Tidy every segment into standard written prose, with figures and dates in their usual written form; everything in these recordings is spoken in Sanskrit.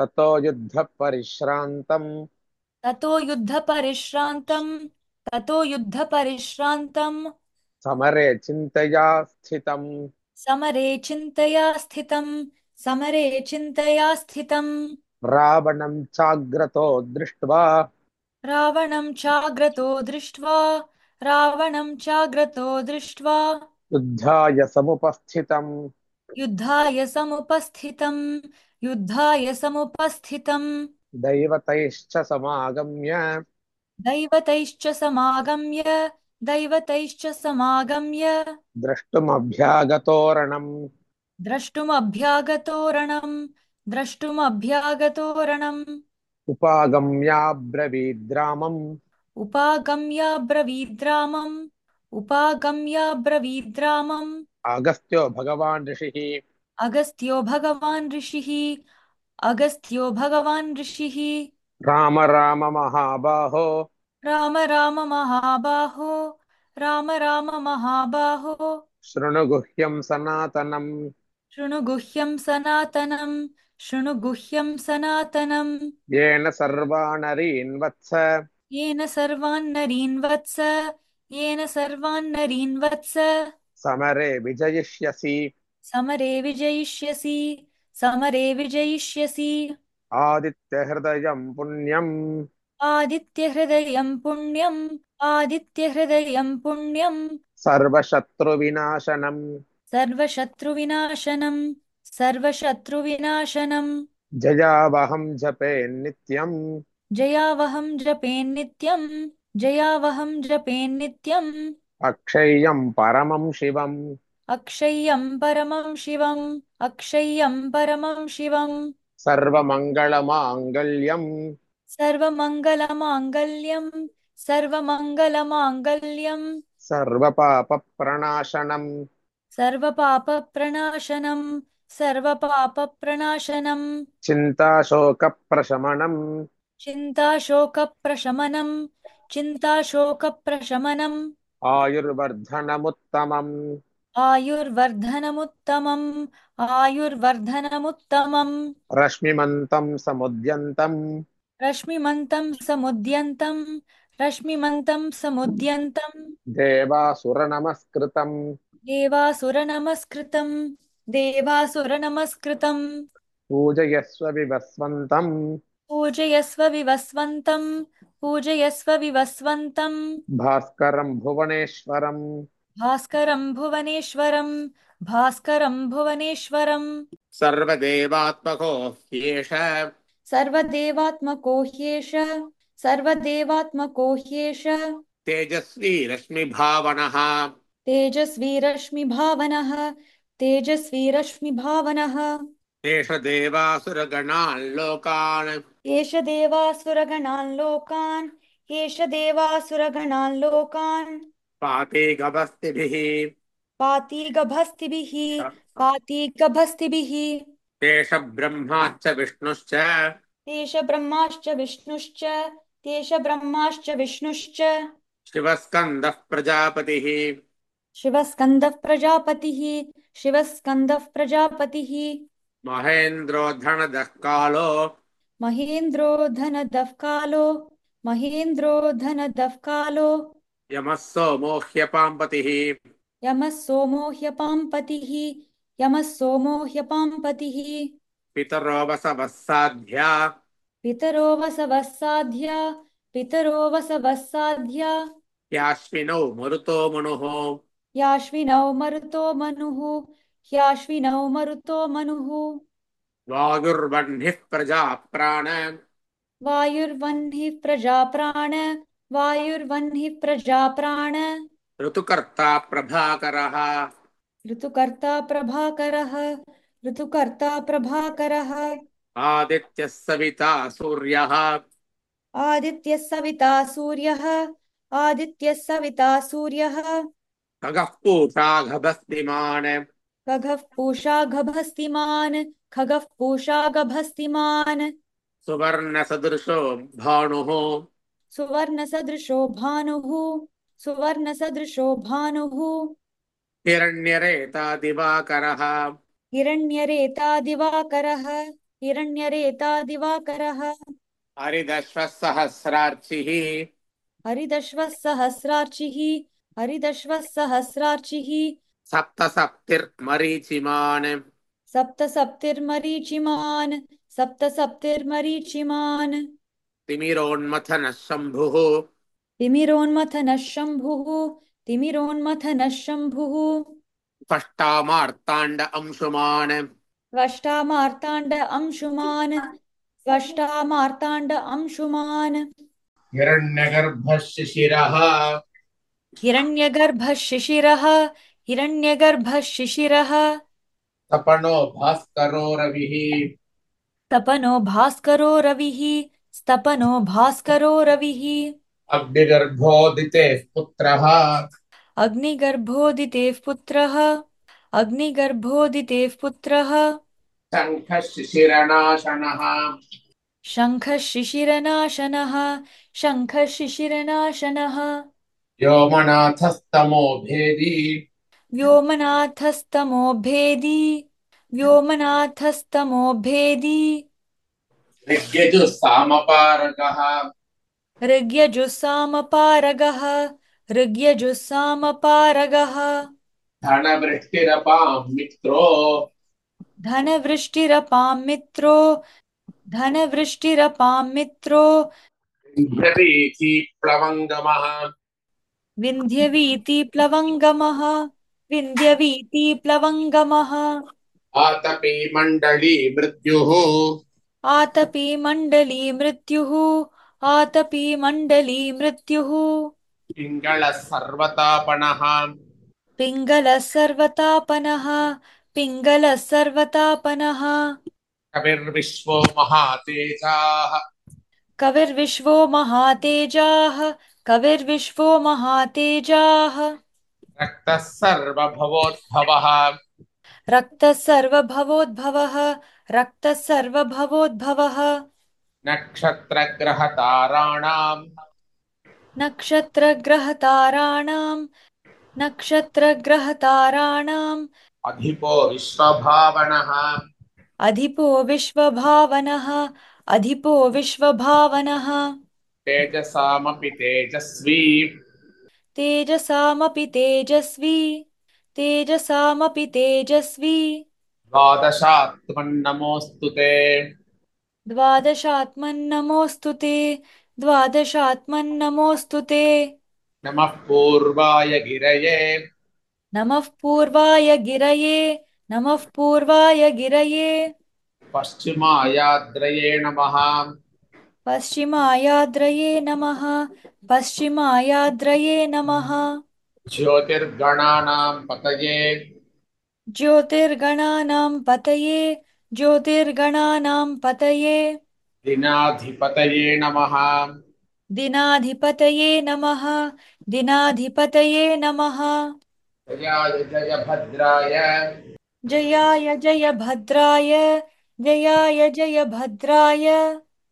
ततो युद्धपरिश्रान्तम् ततो युद्धपरिश्रान्तम् ततो युद्धपरिश्रान्तम् समरे चिन्तया स्थितम्। समरे चिन्तया स्थितम् समरे चिन्तया स्थितम् रावणं चाग्रतो दृष्ट्वा रावणं चाग्रतो दृष्ट्वा युद्धाय समुपस्थितम्। युद्धाय समुपस्थितम् युद्धाय समुपस्थितम् दैवतैश्च समागम्य दैवतैश्च समागम्य दैवतैश्च समागम्य द्रष्टुमभ्यागतोरणम्। द्रष्टुमभ्यागतोरणम् द्रष्टुमभ्यागतोरणम् उपागम्याब्रवीद्रामम्। उपागम्याब्रवीद्रामम् उपागम्याब्रवीद्रामम् अगस्त्यो भगवान् ऋषिः। अगस्त्यो भगवान् ऋषिः अगस्त्यो भगवान् ऋषिः राम राम महाबाहो राम राम महाबाहो राम राम महाबाहो शृणु गुह्यं सनातनम्। शृणु गुह्यं सनातनम् शृणु गुह्यं सनातनम् येन सर्वानरीन् वत्स येन सर्वान् नरीन् वत्स येन सर्वान् नरीन् वत्स समरे विजयिष्यसि। समरे विजयिष्यसि समरे विजयिष्यसि आदित्यहृदयं पुण्यम् आदित्यहृदयं पुण्यम् आदित्यहृदयं पुण्यम् सर्वशत्रुविनाशनम्। सर्वशत्रुविनाशनम् सर्वशत्रुविनाशनम् जयावहं जपे नित्यम्। जयावहं जपेन्नित्यम् जयावहं जपेन्नित्यम् अक्षय्यं परमं शिवम्। अक्षय्यं परमं शिवम् अक्षय्यं परमं शिवम् सर्वमङ्गलमाङ्गल्यम् सर्वमङ्गलमाङ्गल्यम् सर्वमङ्गलमाङ्गल्यम् सर्वपापप्रणाशनम्। सर्वपापप्रणाशनम् सर्वपापप्रणाशनम् चिन्ताशोकप्रशमनम्। चिन्ताशोकप्रशमनम् चिन्ताशोकप्रशमनम् आयुर्वर्धनमुत्तमम्। आयुर्वर्धनमुत्तमम् आयुर्वर्धनमुत्तमम् रश्मिमन्तं समुद्यन्तम्। रश्मिमन्तं समुद्यन्तम् रश्मिमन्तं समुद्यन्तम् देवासुरनमस्कृतम्। देवासुरनमस्कृतम् देवासुरनमस्कृतम् पूजयस्व विवस्वन्तम्। पूजयस्व विवस्वन्तम् पूजयस्व विवस्वन्तम् भास्करम् भुवनेश्वरम्। भास्करम् भुवनेश्वरम् भास्करम् भुवनेश्वरम् सर्वदेवात्मको ह्येष सर्वदेवात्मको ह्येष सर्वदेवात्मको ह्येष तेजस्वी रश्मिभावनः। तेजस्वी रश्मिभावनः तेजस्वी रश्मिभावनः एष देवासुरगणान् लोकान् एष देवासुरगणान् लोकान् एष देवासुरगणान् लोकान् पाते गभस्तिभिः। पाति गभस्तिभिः पाति गभस्तिभिः तेष ब्रह्माच्च विष्णुश्च तेष ब्रह्माश्च विष्णुश्च तेष ब्रह्माश्च विष्णुश्च शिवस्कन्दः प्रजापतिः। शिवस्कन्दः प्रजापतिः शिवस्कन्दः प्रजापतिः महेन्द्रो धनदः कालो महेन्द्रो धनदः कालो महेन्द्रो धनदः कालो यमः सोमो ह्यपाम्पतिः। यमः सोमो ह्यपाम्पतिः यमः सोमो ह्यपाम्पतिः पितरो वसवः साध्या पितरो वसवः साध्या पितरो वसवः साध्या याश्विनौ मरुतो मनुः। याश्विनौ मरुतो मनुः ह्याश्विनौ मरुतो मनुः वायुर्वह्निः प्रजा प्राण वायुर्वह्निः प्रजा प्राण वायुर्वह्निः प्रजा प्राण ऋतुकर्ता प्रभाकरः। ऋतुकर्ता प्रभाकरः ऋतुकर्ता प्रभाकरः आदित्यः सविता सूर्यः। आदित्यः सविता सूर्यः आदित्यः सविता सूर्यः खगः पूषा गभस्तिमान्। खगः पूषा गभस्तिमान् खगः पूषा गभस्तिमान् सुवर्णसदृशो भानुः। सुवर्णसदृशो भानुः सुवर्णसदृशो भानुः हिरण्यरेता दिवाकरः। हिरण्यरेता दिवाकरः हिरण्यरेता दिवाकरः हरिदश्वः सहस्रार्चिः हरिदश्वः सहस्रार्चिः हरिदश्वः सहस्रार्चिः सप्तसप्तिर्मरीचिमान् सप्तसप्तिर्मरीचिमान् सप्तसप्तिर्मरीचिमान् तिमिरोन्मथनः शम्भुः तिमिरोन्मथनः शम्भुः तिमिरोन्मथनः शम्भुः त्वष्टामार्ताण्ड अंशुमान् त्वष्टामार्ताण्ड अंशुमान् त्वष्टामार्ताण्ड अंशुमान् हिरण्यगर्भः शिशिरः हिरण्यगर्भः शिशिरः हिरण्यगर्भः शिशिरः तपनो भास्करो रविः तपनो भास्करो रविः स्तपनो भास्करो रविः अग्निगर्भोदितेः पुत्रः अग्निगर्भोदितेः पुत्रः अग्निगर्भोदितेः पुत्रः शङ्खः शिशिरनाशनः शङ्खः शिशिरनाशनः शङ्खः शिशिरनाशनः व्योमनाथस्तमो भेदी व्योमनाथस्तमो भेदी व्योमनाथस्तमो भेदी ऋग्यजुस्सामपारगः ऋग्यजुस्सामपारगः ऋग्यजुस्सामपारगः धनवृष्टिरपां मित्रो धनवृष्टिरपां मित्रो धनवृष्टिरपां मित्रो विन्ध्यवीथि प्लवङ्गमः विन्ध्यवीति प्लवङ्गमः विन्ध्यवीति प्लवङ्गमः आतपी मण्डली मृत्युः आतपी मण्डली मृत्युः आतपी मण्डली मृत्युः पिङ्गळः सर्वतापनः पिङ्गलः सर्वतापनः पिङ्गलः सर्वतापनः कविर्विश्वो महातेजाः कविर्विश्वो महातेजाः कविर्विश्वो महातेजाः रक्तः सर्वभवोद्भवः रक्तः सर्वभवोद्भवः रक्तः सर्वभवोद्भवः नक्षत्रग्रहताराणाम् नक्षत्रग्रहताराणां नक्षत्रग्रहताराणाम् अधिपो विश्वभावनः अधिपो विश्वभावनः अधिपो विश्वभावनः तेजसामपि तेजस्वी तेजसामपि तेजस्वी तेजसामपि तेजस्वी द्वादशात्मन्नमोऽस्तु ते द्वादशात्मन्नमोऽस्तु ते द्वादशात्मन्नमोऽस्तु ते नमः पूर्वाय गिरये नमः पूर्वाय गिरये नमः पूर्वाय गिरये पश्चिमायाद्रये नमः पश्चिमायाद्रये नमः पश्चिमायाद्रये नमः ज्योतिर्गणानां पतये ज्योतिर्गणानां पतये ज्योतिर्गणानां पतये दिनाधिपतये नमः दिनाधिपतये नमः दिनाधिपतये नमः जयाय जय भद्राय जयाय जय भद्राय जयाय जय भद्राय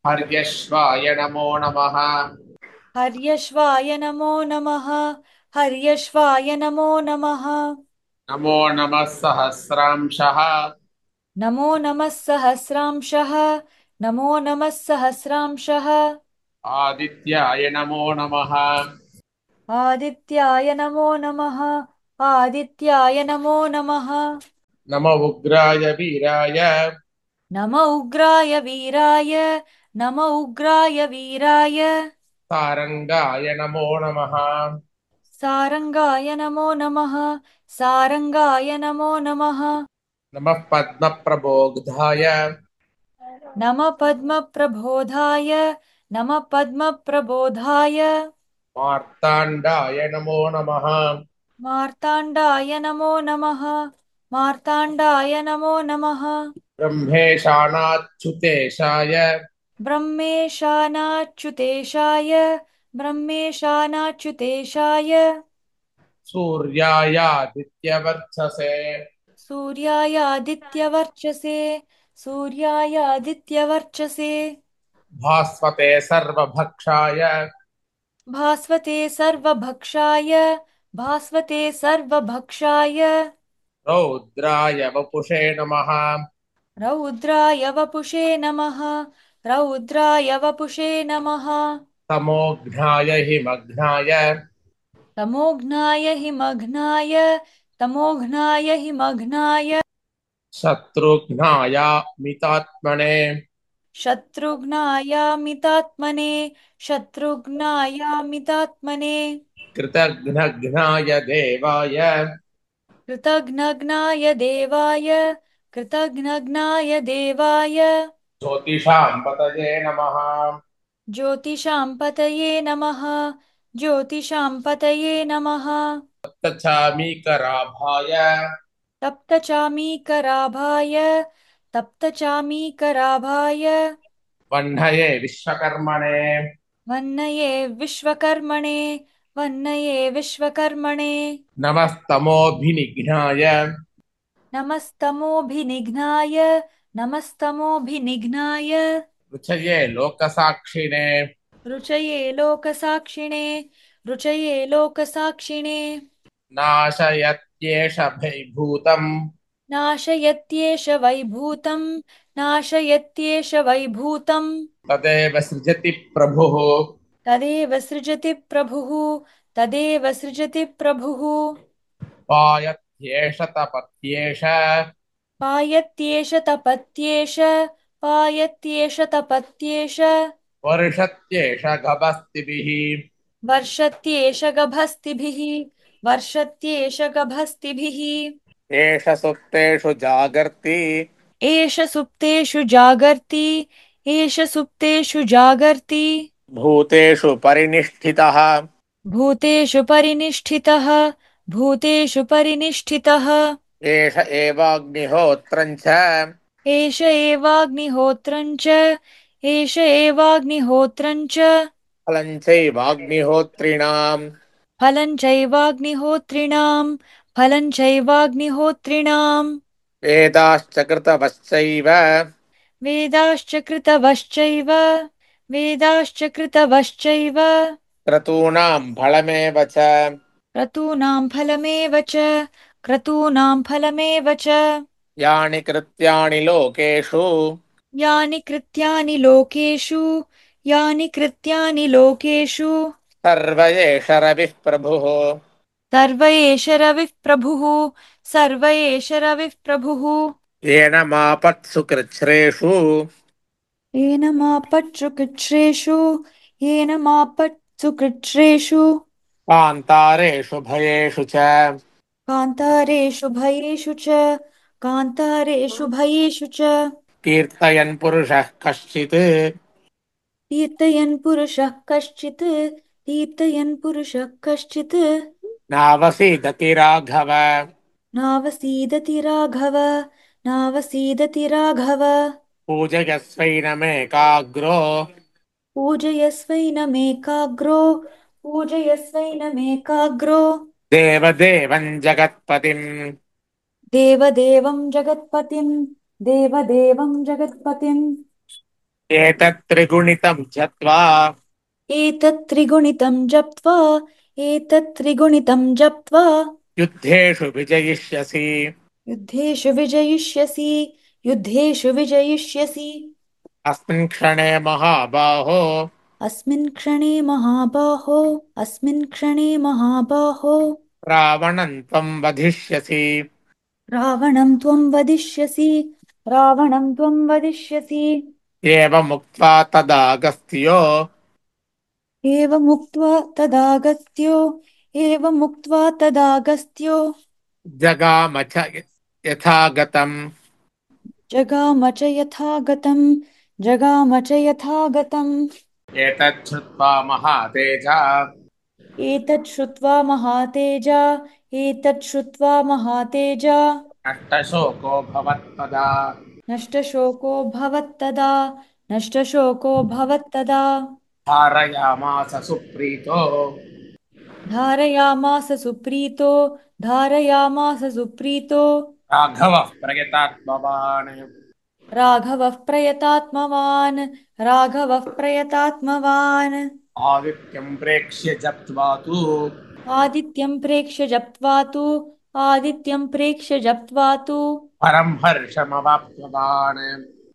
हर्यश्वाय नमो नमः हर्यश्वाय नमो नमः हर्यश्वाय नमो नमः नमो नमः सहस्रांशः नमो नमः सहस्रांशः नमो नमः सहस्रांशः आदित्याय नमो नमः आदित्याय नमो नमः आदित्याय नमो नमः नम उग्राय वीराय नम उग्राय वीराय नम उग्राय वीराय सारंगाय नमो नमः सारंगाय नमो नमः सारंगाय नमो नमः नमः पद्मप्रबोधाय नमः पद्मप्रबोधाय नमः पद्मप्रबोधाय मार्ताण्डाय नमो नमः मार्ताण्डाय नमो नमः मार्ताण्डाय नमो नमः ब्रह्मेशानाच्युतेशाय ब्रह्मेशानाच्युतेशाय ब्रह्मेशानाच्युतेशाय सूर्यायादित्यवर्चसे सूर्यायादित्यवर्चसे सूर्यायादित्यवर्चसे भास्वते सर्वभक्षाय भास्वते सर्वभक्षाय भास्वते सर्वभक्षाय रौद्राय वपुषे नमः रौद्राय वपुषे नमः रौद्राय वपुषे नमः तमोघ्नाय हिमघ्नाय तमोघ्नाय हिमघ्नाय तमोघ्नाय हिमघ्नाय शत्रुघ्नाय मितात्मने शत्रुघ्नायामितात्मने शत्रुघ्नायामितात्मने कृतघ्नघ्नाय देवाय कृतघ्नघ्नाय देवाय कृतघ्नघ्नाय देवाय ज्योतिषां पतये नमः ज्योतिषां पतये नमः ज्योतिषां पतये नमः तच्छामीकराभाय तप्तचामीकराभाय तप्तचामीकराभाय वह्नये विश्वकर्मणे वन्नये विश्वकर्मणे वन्नये विश्वकर्मणे नमस्तमोभिनिघ्नाय नमस्तमोभिनिघ्नाय नमस्तमोभिनिघ्नाय रुचये लोकसाक्षिणे रुचये लोकसाक्षिणे रुचये लोकसाक्षिणे नाशयत्येष भैभूतम् नाशयत्येष वैभूतं नाशयत्येष वैभूतं तदेव सृजति प्रभुः तदेव सृजति प्रभुः तदेव सृजति प्रभुः पायत्येष तपत्येष पायत्येष तपत्येष पायत्येष तपत्येष वर्षत्येष गभस्तिभिः वर्षत्येष गभस्तिभिः वर्षत्येष गभस्तिभिः एष सुप्तेषु जागर्ति एष सुप्तेषु जागर्ति एष सुप्तेषु जागर्ति भूतेषु परिनिष्ठितः भूतेषु परिनिष्ठितः भूतेषु परिनिष्ठितः एष एवाग्निहोत्रम् च एष एवाग्निहोत्रं च एष एवाग्निहोत्रं च फलम् चैवाग्निहोत्रिणाम् फलं चैवाग्निहोत्रिणां फलं चैवाग्निहोत्रिणां वेदाश्च कृतवश्चैव वेदाश्च कृतवश्चैव वेदाश्च कृतवश्चैव क्रतूणाम् फलमेव च क्रतूनां फलमेव च क्रतूनां फलमेव च यानि कृत्यानि लोकेषु यानि कृत्यानि लोकेषु यानि कृत्यानि लोकेषु सर्व एष रविः प्रभुः सर्व एष रविः प्रभुः सर्व एष रविः प्रभुः येन मापत्सु कृच्छ्रेषु येन मापत्सु कृच्छ्रेषु येन मापत्सु कृच्छ्रेषु कान्तारेषु भयेषु च कान्तारेषु भयेषु च कान्तारेषु भयेषु च कीर्तयन् पुरुषः कश्चित् कीर्तयन् पुरुषः कश्चित् कीर्तयन् पुरुषः कश्चित् नावसीदति राघव नावसीदति राघव नावसीदति राघव पूजयस्वैनमेकाग्रो पूजयस्वैनमेकाग्रो पूजयस्वैनमेकाग्रो देवदेवम् जगत्पतिम् देवदेवं जगत्पतिं देवदेवं जगत्पतिम् एतत् त्रिगुणितम् जप्त्वा एतत् त्रिगुणितं जप्त्वा एतत् त्रिगुणितं जप्त्वा युद्धेषु विजयिष्यसि युद्धेषु विजयिष्यसि युद्धेषु विजयिष्यसि अस्मिन् क्षणे महाबाहो अस्मिन् क्षणे महाबाहो अस्मिन् क्षणे महाबाहो रावणम् त्वम् वधिष्यसि रावणं त्वं वदिष्यसि रावणं त्वं वदिष्यसि एवमुक्त्वा तदागस्त्यो एवमुक्त्वा तदागस्त्यो एवमुक्त्वा तदागस्त्यो जगाम च यथागतम् जगाम च यथा गतं जगाम च यथा गतम् एतत् श्रुत्वा महातेजा एतत् श्रुत्वा महातेजा एतत् श्रुत्वा महातेजा नष्टशोको भवत्पदा नष्टशोको भवत्तदा नष्टशोको भवत्तदा धारयामास सुप्रीतो धारयामास सुप्रीतो धारयामास सुप्रीतो राघवः प्रयतात्मवान् राघवः प्रयतात्मवान् राघवः प्रयतात्मवान् आदित्यम् प्रेक्ष्य जप्त्वा तु आदित्यं प्रेक्ष्य जप्त्वा तु आदित्यं प्रेक्ष्य जप्त्वा तु परं हर्षमवाप्तवान्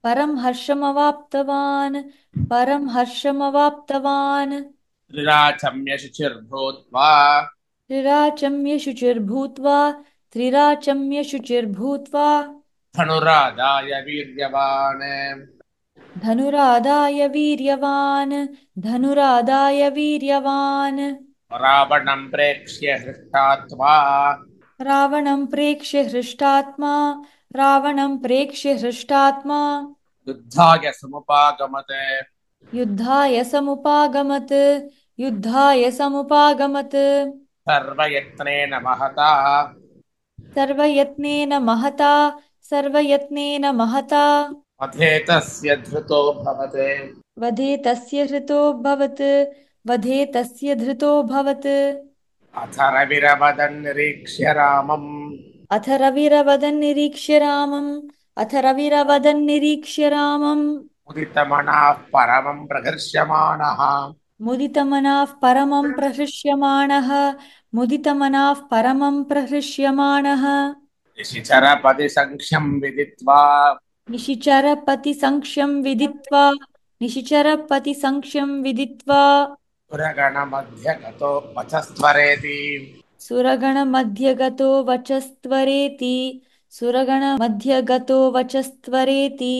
परं हर्षमवाप्तवान् परं हर्षमवाप्तवान् त्रिराचम्य शुचिर्भूत्वा त्रिराचम्य शुचिर्भूत्वा त्रिराचम्य शुचिर्भूत्वा धनुरादाय वीर्यवान् धनुरादाय वीर्यवान् धनुरादाय वीर्यवान् रावणं प्रेक्ष्य हृष्टात्मा रावणं प्रेक्ष्य हृष्टात्मा रावणं प्रेक्ष्य हृष्टात्मा युद्धाय समुपागमत् युद्धाय समुपागमत् युद्धाय समुपागमत् सर्वयत्नेन महता सर्वयत्नेन महता सर्वयत्नेन महता वधे तस्य धृतोऽभवत् वधे तस्य हृतोऽभवत् वधे तस्य धृतोऽभवत् अथ रविरवदन् निरीक्ष्य रामम् अथ रविरवदन् निरीक्ष्य रामम् अथ रविरवदन् निरीक्ष्य रामम् मुदितमनाः परमं प्रहर्ष्यमाणः मुदितमनाः परमं प्रहृष्यमाणः मुदितमनाः परमं प्रहृष्यमाणः निशिचरपदि सङ्ख्यं विदित्वा निशिचरपतिसंख्यं विदित्वा निशिचरपतिसंख्यं विदित्वा पुरगणमध्यगतो वचस्त्वरेति सुरगणमध्यगतो वचस्त्वरेति सुरगणमध्यगतो वचस्त्वरेति